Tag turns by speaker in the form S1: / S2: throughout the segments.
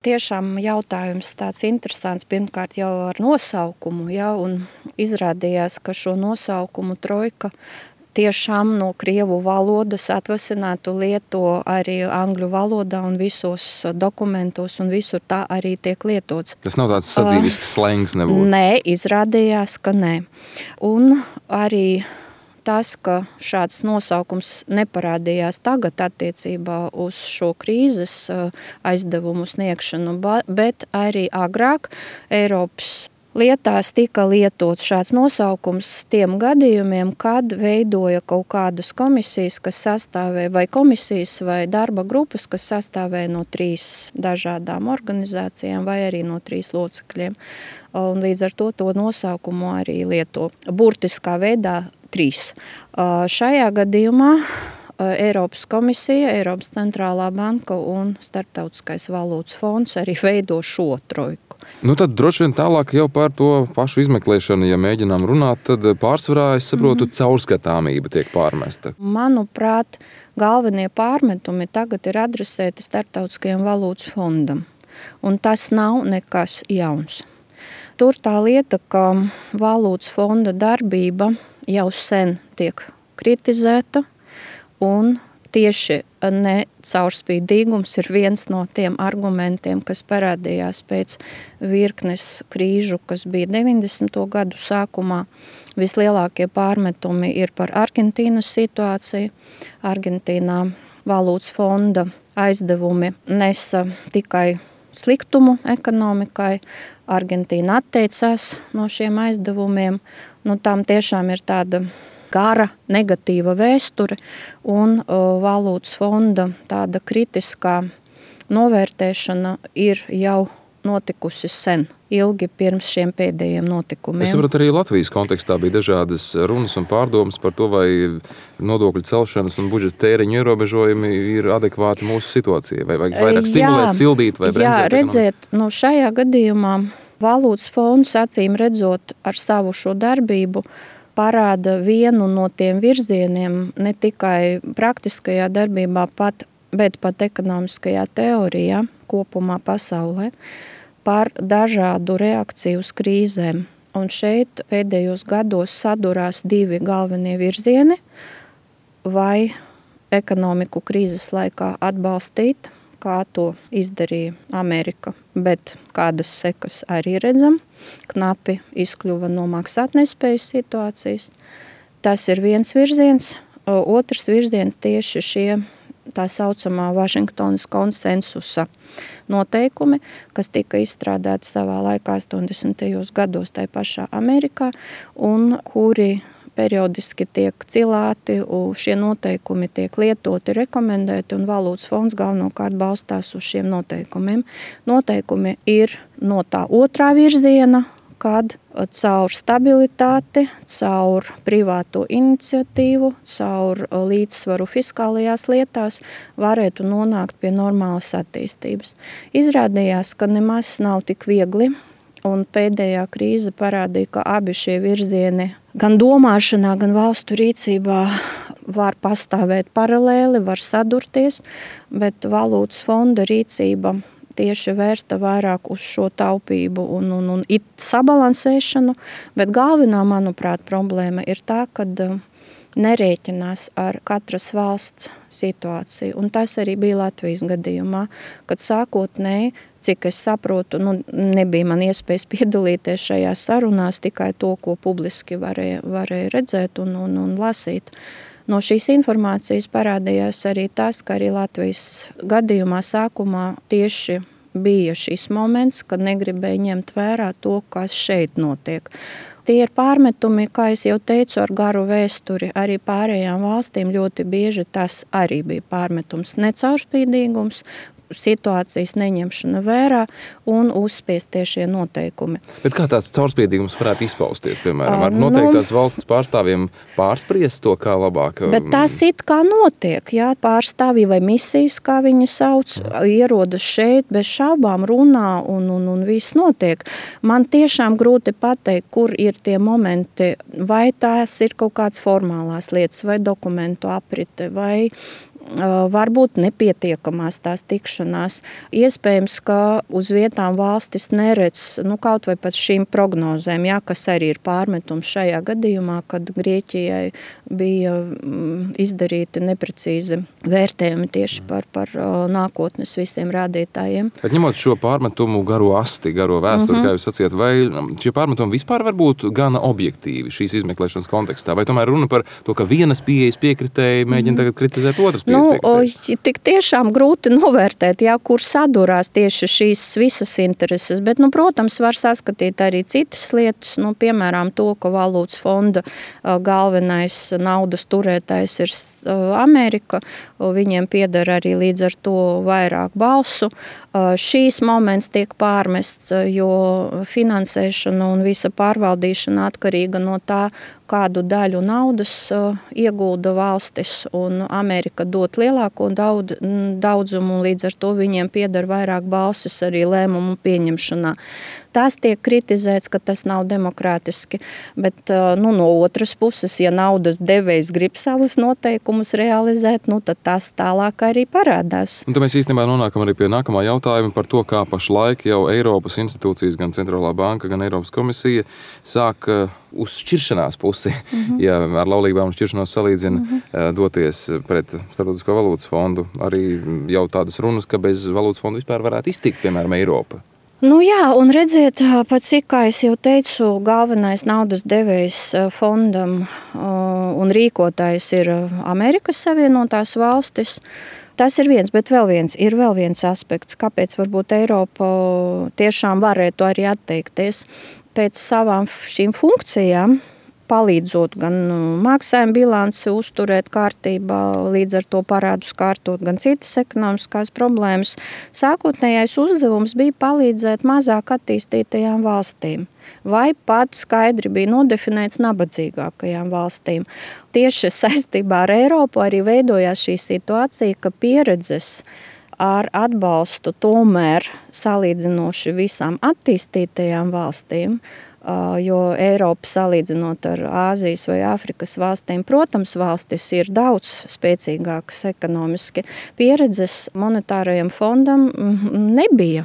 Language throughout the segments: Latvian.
S1: Tiešām jautājums tāds interesants, pirmkārt jau ar nosaukumu, ja, un izrādījās, ka šo nosaukumu trojka tiešām no krievu valodas atvasinātu lieto arī angļu valodā un visos dokumentos, un visur tā arī tiek lietots.
S2: Tas nav tāds sadzīvisks slengs nebūtu?
S1: Nē, izrādījās, ka nē. Un arī tas, ka šāds nosaukums neparādījās tagad attiecībā uz šo krīzes aizdevumu sniegšanu, bet arī agrāk Eiropas lietās tika lietots šāds nosaukums tiem gadījumiem, kad veidoja kaut kādas komisijas, kas sastāvēja, vai komisijas, vai darba grupas, kas sastāvēja no 3 dažādām organizācijām, vai arī no 3 locekļiem. Un līdz ar to nosaukumu arī lieto burtiskā veidā 3. Šajā gadījumā Eiropas komisija, Eiropas centrālā banka un Starptautiskais valūtas fonds arī veido šo trojku.
S2: Nu tad droši vien tālāk jau par to pašu izmeklēšanu, ja mēģinām runāt, tad pārsvarā, es saprotu, caurskatāmība tiek pārmesta.
S1: Manuprāt, galvenie pārmetumi tagad ir adresēti Starptautiskajam valūtas fondam, un tas nav nekas jauns. Tur tā lieta, ka valūtas fonda darbība jau sen tiek kritizēta, un tieši necaurspīdīgums ir viens no tiem argumentiem, kas parādījās pēc virknes krīžu, kas bija 90. gadu sākumā. Vislielākie pārmetumi ir par Argentīnas situāciju. Argentīnā valūtas fonda aizdevumi nesa tikai sliktumu ekonomikai. Argentīna atteicās no šiem aizdevumiem. Tam tiešām ir tāda gara negatīva vēsture, un valūtas fonda tāda kritiskā novērtēšana ir jau notikusi sen, ilgi pirms šiem pēdējiem notikumiem.
S2: Es saprotu, arī Latvijas kontekstā bija dažādas runas un pārdomas par to, vai nodokļu celšanas un budžeta tēriņu ierobežojumi ir adekvāti mūsu situācijai, vai vajag vairāk stimulēt, sildīt vai bremzēt.
S1: Jā, redziet, šajā gadījumā valūtas fonds, acīm redzot, ar savu šo darbību parāda vienu no tiem virzieniem ne tikai praktiskajā darbībā, bet pat ekonomiskajā teorijā kopumā pasaulē par dažādu reakciju uz krīzēm. Un šeit pēdējos gados sadurās 2 galvenie virzieni, vai ekonomiku krīzes laikā atbalstīt, kā to izdarīja Amerika, bet kādas sekas arī redzam, knapi izkļuva no maksātnespējas situācijas. Tas ir viens virziens. Otrs virziens tieši šie tā saucamā Vašingtonas konsensusa noteikumi, kas tika izstrādāti savā laikā 80. gados tai pašā Amerikā, un kuri periodiski tiek cilāti, šie noteikumi tiek lietoti, rekomendēti, un valūtas fonds galvenokārt balstās uz šiem noteikumiem. Noteikumi ir no tā otrā virziena, kad caur stabilitāti, caur privāto iniciatīvu, caur līdzsvaru fiskālajās lietās varētu nonākt pie normālas attīstības. Izrādījās, ka nemaz nav tik viegli, un pēdējā krīze parādīja, ka abi šie virzieni gan domāšanā, gan valstu rīcībā var pastāvēt paralēli, var sadurties, bet valūtas fonda rīcība tieši vērsta vairāk uz šo taupību un sabalansēšanu, bet galvenā, manuprāt, problēma ir tā, kad nerēķinās ar katras valsts situāciju. Un tas arī bija Latvijas gadījumā, kad sākotnēji, cik es saprotu, nebija man iespējas piedalīties šajās sarunās, tikai to, ko publiski varēja redzēt un lasīt. No šīs informācijas parādījās arī tas, ka arī Latvijas gadījumā sākumā tieši bija šis moments, kad negribēja ņemt vērā to, kas šeit notiek. Tie ir pārmetumi, kā es jau teicu, ar garu vēsturi. Arī pārējām valstīm ļoti bieži tas arī bija pārmetums, necaurspīdīgums, situācijas neņemšana vērā un uzspiestie šie noteikumi.
S2: Bet kā tāds caurspīdīgums varētu izpausties, piemēram, ar noteiktās valsts pārstāvjiem pārspriest to, kā labāk?
S1: Bet tas it kā notiek, jā, pārstāvji vai misijas, kā viņi sauc, ierodas šeit, bez šaubām runā un viss notiek. Man tiešām grūti pateikt, kur ir tie momenti, vai tās ir kaut kāds formālās lietas, vai dokumentu aprite, vai varbūt nepietiekamās tās tikšanās. Iespējams, ka uz vietām valstis neredz kaut vai pat šīm prognozēm, kas arī ir pārmetums šajā gadījumā, kad Grieķijai bija izdarīti neprecīzi vērtējumi tieši par nākotnes visiem rādītājiem.
S2: Bet ņemot šo pārmetumu garo asti, garo vēsturi, kā jūs sacījāt, vai šie pārmetumi vispār var būt gana objektīvi šīs izmeklēšanas kontekstā? Vai tomēr runa par to, ka vienas pieejas piekritēji mēģina tagad kritizēt otras pieejas piekritēji?
S1: Tik tiešām grūti novērtēt, kur sadurās tieši šīs visas intereses, bet, protams, var saskatīt arī citas lietas, piemēram, to, ka valūtas fonda galvenais naudas turētājs ir Amerika, viņiem pieder arī līdz ar to vairāk balsu. Šīs moments tiek pārmests, jo finansēšana un visa pārvaldīšana atkarīga no tā, kādu daļu naudas iegulda valstis, un Amerika dot lielāko daudzumu, un līdz ar to viņiem pieder vairāk balsis arī lēmumu pieņemšanā. Tas tiek kritizēts, ka tas nav demokrātiski, bet no otras puses, ja naudas devējs grib savus noteikumus realizēt, tad tas tālāk arī parādās.
S2: Un tad mēs īstenībā nonākam arī pie nākamā jautājuma par to, kā pašlaik jau Eiropas institūcijas, gan Centrālā banka, gan Eiropas komisija sāk uz šķiršanās pusi, ja ar laulībām un šķiršanos salīdzina, doties pret Starptautisko valūtas fondu. Arī jau tādas runas, ka bez valūtas fonda vispār varētu iztikt, piemēram, Eiropa.
S1: Un redziet, pat cik, kā es jau teicu, galvenais naudas devējs fondam un rīkotājs ir Amerikas Savienotās valstis. Tas ir viens, bet vēl viens aspekts, kāpēc varbūt Eiropa tiešām varētu arī atteikties pēc savām šīm funkcijām, palīdzot gan maksājuma bilanci uzturēt kārtībā, līdz ar to parādus kārtot, gan citas ekonomiskās problēmas. Sākotnējais uzdevums bija palīdzēt mazāk attīstītajām valstīm, vai pat skaidri bija nodefinēts nabadzīgākajām valstīm. Tieši saistībā ar Eiropu arī veidojās šī situācija, ka pieredzes ar atbalstu tomēr salīdzinoši visām attīstītajām valstīm, jo Eiropa salīdzinot ar Āzijas vai Āfrikas valstīm, protams, valstis ir daudz spēcīgākas ekonomiski. Pieredzes monetārajam fondam nebija.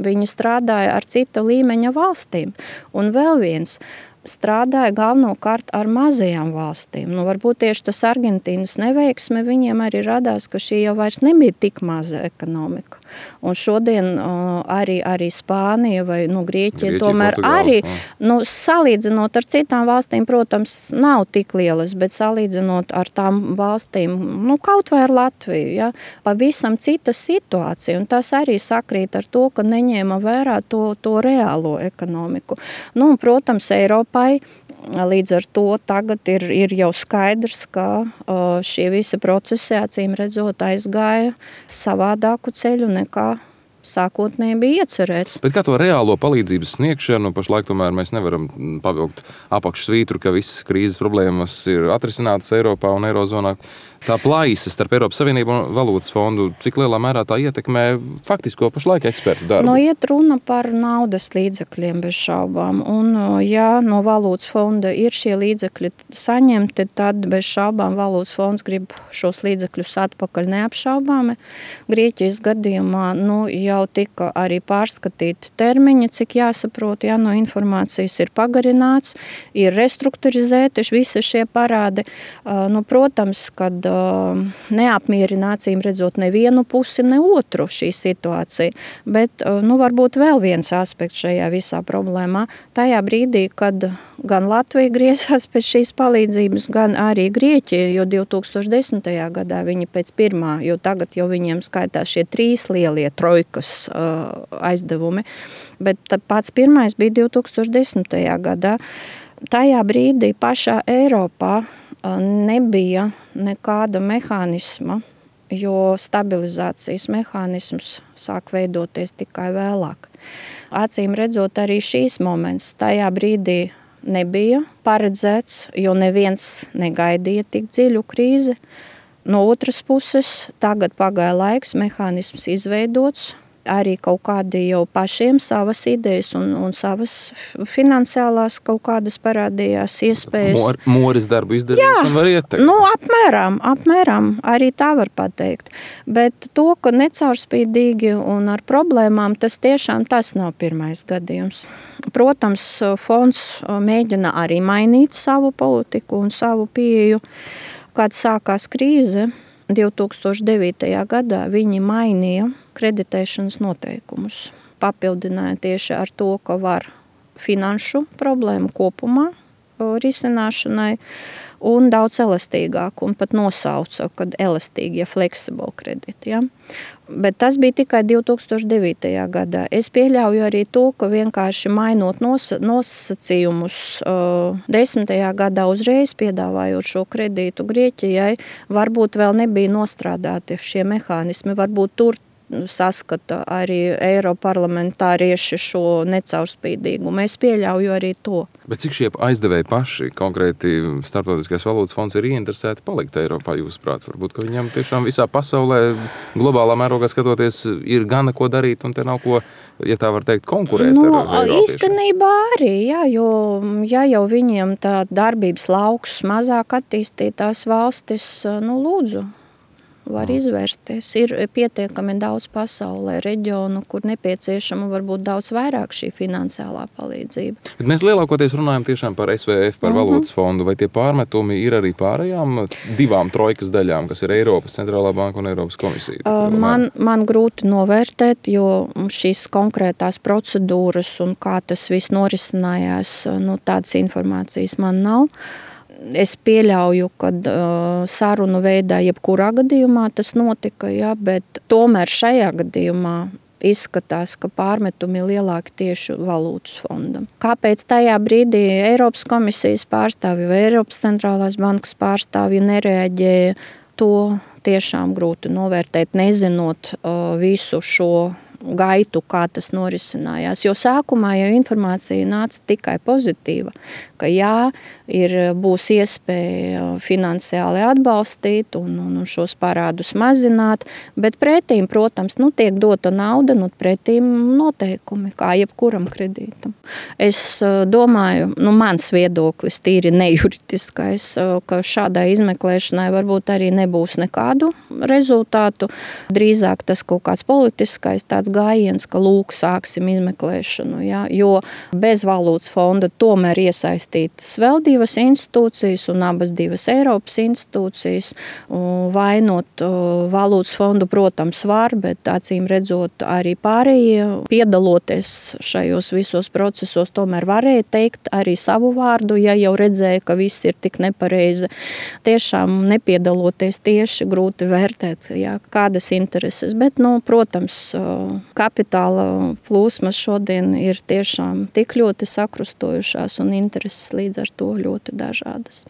S1: Viņi strādāja ar cita līmeņa valstīm. Un vēl viens strādāja galvenokārt ar mazajām valstīm. Varbūt tieši tas Argentīnas neveiksme viņiem arī radās, ka šī jau vairs nebija tik maza ekonomika. Un šodien arī Spānija vai Grieķija tomēr Portugāla, arī, salīdzinot ar citām valstīm, protams, nav tik lielas, bet salīdzinot ar tām valstīm, kaut vai ar Latviju, pavisam cita situācija. Un tas arī sakrīt ar to, ka neņēma vērā to reālo ekonomiku. Protams, Eiropai līdz ar to tagad ir jau skaidrs, ka šie visi procesi acīm redzot aizgāja savādāku ceļu nekā sākotnēji bija iecerēts.
S2: Bet kā to reālo palīdzības sniegšanu, pašlaik tomēr mēs nevaram pavilkt apakšsvītru, ka visas krīzes problēmas ir atrisinātas Eiropā un Eirozonā. Tā plaisa starp Eiropas Savienību un valūtas fondu, cik lielā mērā tā ietekmē faktisko pašlaik ekspertu darbu?
S1: Iet runa par naudas līdzekļiem bez šaubām. Un, ja no valūtas fonda ir šie līdzekļi saņemti, tad bez šaubām valūtas fonds grib šos līdzekļus atpakaļ neapšaubāmi. Grieķijas gadījumā jau tika arī pārskatīti termiņi, cik jāsaprot, no informācijas ir pagarināts, ir restrukturizēti visi šie parādi. Protams, kad neapmierinācīm redzot nevienu pusi, ne otru šī situācija. Bet varbūt vēl viens aspekts šajā visā problēmā. Tajā brīdī, kad gan Latvija griezās pēc šīs palīdzības, gan arī Grieķija, jo 2010. gadā viņi pēc pirmā, jo tagad jau viņiem skaitās šie 3 lielie trojkas aizdevumi, bet pats pirmais bija 2010. gadā. Tajā brīdī pašā Eiropā nebija nekāda mehānisma, jo stabilizācijas mehānisms sāk veidoties tikai vēlāk. Acīm redzot, arī šīs moments tajā brīdī nebija paredzēts, jo neviens negaidīja tik dziļu krīzi. No otras puses, tagad pagāja laiks, mehānisms izveidots, arī kaut kādi jau pašiem savas idejas un savas finansiālās kaut kādas parādījās iespējas.
S2: Moris darbu izdarījis un var ieteikt.
S1: Nu, apmēram, arī tā var pateikt. Bet to, ka necaurspīdīgi un ar problēmām, tas nav pirmais gadījums. Protams, fonds mēģina arī mainīt savu politiku un savu pieeju. Kad sākās krīze 2009. gadā, viņi mainīja kreditēšanas noteikumus. Papildināja tieši ar to, ka var finanšu problēmu kopumā risināšanai un daudz elastīgāk, un pat nosauca, kad elastīgie flexible krediti. Ja? Bet tas bija tikai 2009. gadā. Es pieļauju arī to, ka vienkārši mainot nosacījumus 10. gadā uzreiz piedāvājot šo kredītu Grieķijai, varbūt vēl nebija nostrādāti šie mehānismi, varbūt tur saskata arī eiroparlamentārieši šo necaurspīdīgumu. Es pieļauju arī to.
S2: Bet cik šie aizdevēji paši, konkrēti Starptautiskais valūtas fonds, ir ieinteresēti palikt Eiropā, jūsuprāt? Varbūt, ka viņam tiešām visā pasaulē, globālā mērogā skatoties, ir gana ko darīt un te nav ko, ja tā var teikt, konkurēt ar eiropiešiem?
S1: Īstenībā arī, jā, jo ja jau viņiem tā darbības lauks mazāk attīstītās valstis, lūdzu, var izvērsties. Ir pietiekami daudz pasaulē reģionu, kur nepieciešama varbūt daudz vairāk šī finansiālā palīdzība.
S2: Bet mēs lielākoties runājam tiešām par SVF, par valūtas fondu, vai tie pārmetumi ir arī pārējām divām trojkas daļām, kas ir Eiropas centrālā banka un Eiropas komisija?
S1: Man grūti novērtēt, jo šīs konkrētās procedūras un kā tas viss norisinājās, tādas informācijas man nav. Es pieļauju, ka sarunu veidā jebkurā gadījumā tas notika, ja, bet tomēr šajā gadījumā izskatās, ka pārmetumi lielāki tieši valūtas fondam. Kāpēc tajā brīdī Eiropas komisijas pārstāvji vai Eiropas centrālās bankas pārstāvji nereaģēja, to tiešām grūti novērtēt, nezinot visu šo gaitu, kā tas norisinājās. Jo sākumā jau informācija nāca tikai pozitīva, ka būs iespēja finansiāli atbalstīt un šos parādus mazināt, bet pretīm, protams, tiek dota nauda, pretīm noteikumi, kā jebkuram kredītam. Es domāju, mans viedoklis tīri nejuridiskais, ka šādai izmeklēšanai varbūt arī nebūs nekādu rezultātu. Drīzāk tas kaut kāds politiskais tāds gājiens, ka sāksim izmeklēšanu, ja, jo bez valūtas fonda tomēr iesaistītas vēl divas institūcijas un abas divas Eiropas institūcijas. Vainot valūtas fondu, protams, var, bet acīm redzot arī pārējie piedaloties šajos visos procesos, tomēr varēja teikt arī savu vārdu, ja jau redzēja, ka viss ir tik nepareizi. Tiešām nepiedaloties tieši grūti vērtēt, ja, kādas intereses, bet, protams, kapitāla plūsmas šodien ir tiešām tik ļoti sakrustojušās un intereses līdz ar to ļoti dažādas.